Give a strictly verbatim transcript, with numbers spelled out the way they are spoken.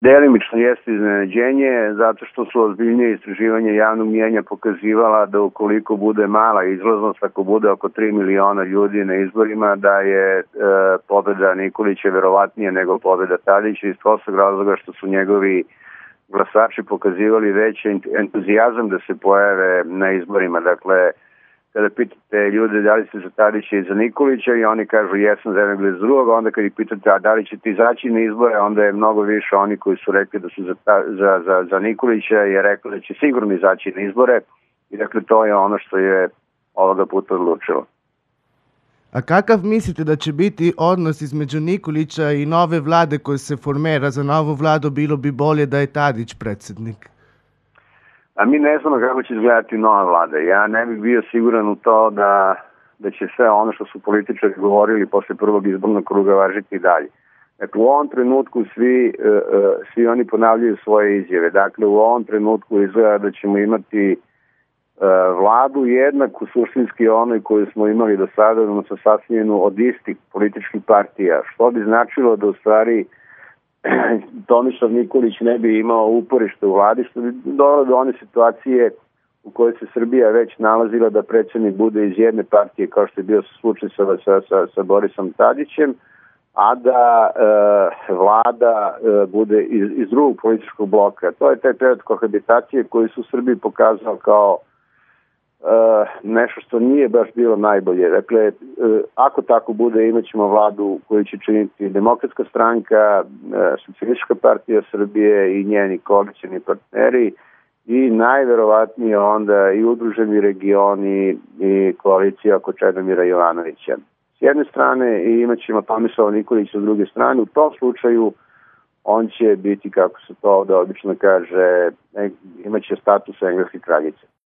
Delimično jeste iznenađenje, zato što su ozbiljnije istraživanja javnog mnijenja pokazivala da ukoliko bude mala izlaznost, ako bude oko tri miliona ljudi na izborima, da je e, pobeda Nikolića verovatnije nego pobeda Tadića, iz prostog razloga što su njegovi glasači pokazivali veći entuzijazam da se pojave na izborima. Dakle, kada pitate ljude da li ste za Tadića i za Nikolića i oni kažu jesam za jednog ili za drugog, onda kad ih pitate a da li ćete izaći na izbore, onda je mnogo više oni koji su rekli da su za, za, za, za Nikolića je rekli da će sigurno izaći na izbore i dakle to je ono što je ovoga puta odlučilo. A kakav mislite da će biti odnos između Nikolića i nove vlade koje se formira? Za novu vladu bilo bi bolje da je Tadić predsjednik. A mi ne znamo kako će izgledati nova vlada. Ja ne bih bio siguran u to da, da će sve ono što su političari govorili posle prvog izbornog kruga važiti i dalje. Dakle, u ovom trenutku svi, svi oni ponavljaju svoje izjave. Dakle, u ovom trenutku izgleda da ćemo imati vladu jednaku suštinski onoj koju smo imali do sada, odnosno sastavljenu od istih političkih partija, što bi značilo da u stvari Tomislav Nikolić ne bi imao uporište u vladi, što bi dovelo do one situacije u kojoj se Srbija već nalazila da predsjednik bude iz jedne partije, kao što je bio slučaj sa, sa, sa, sa Borisom Tadićem, a da e, vlada e, bude iz, iz drugog političkog bloka. To je taj period kohabitacije koji su Srbiji pokazao kao e, nešto što nije baš bilo najbolje. Dakle, e, ako tako bude, imat ćemo vladu koju će činiti Demokratska stranka, e, Socijalistička partija Srbije i njeni koalicioni partneri i najverovatnije onda i Udruženi regioni i koalicija oko Čedomira Jovanovića. S jedne strane i imat ćemo Tomislava Nikolića s druge strane. U tom slučaju on će biti, kako se to ovde obično kaže, imat će status engleske kraljice.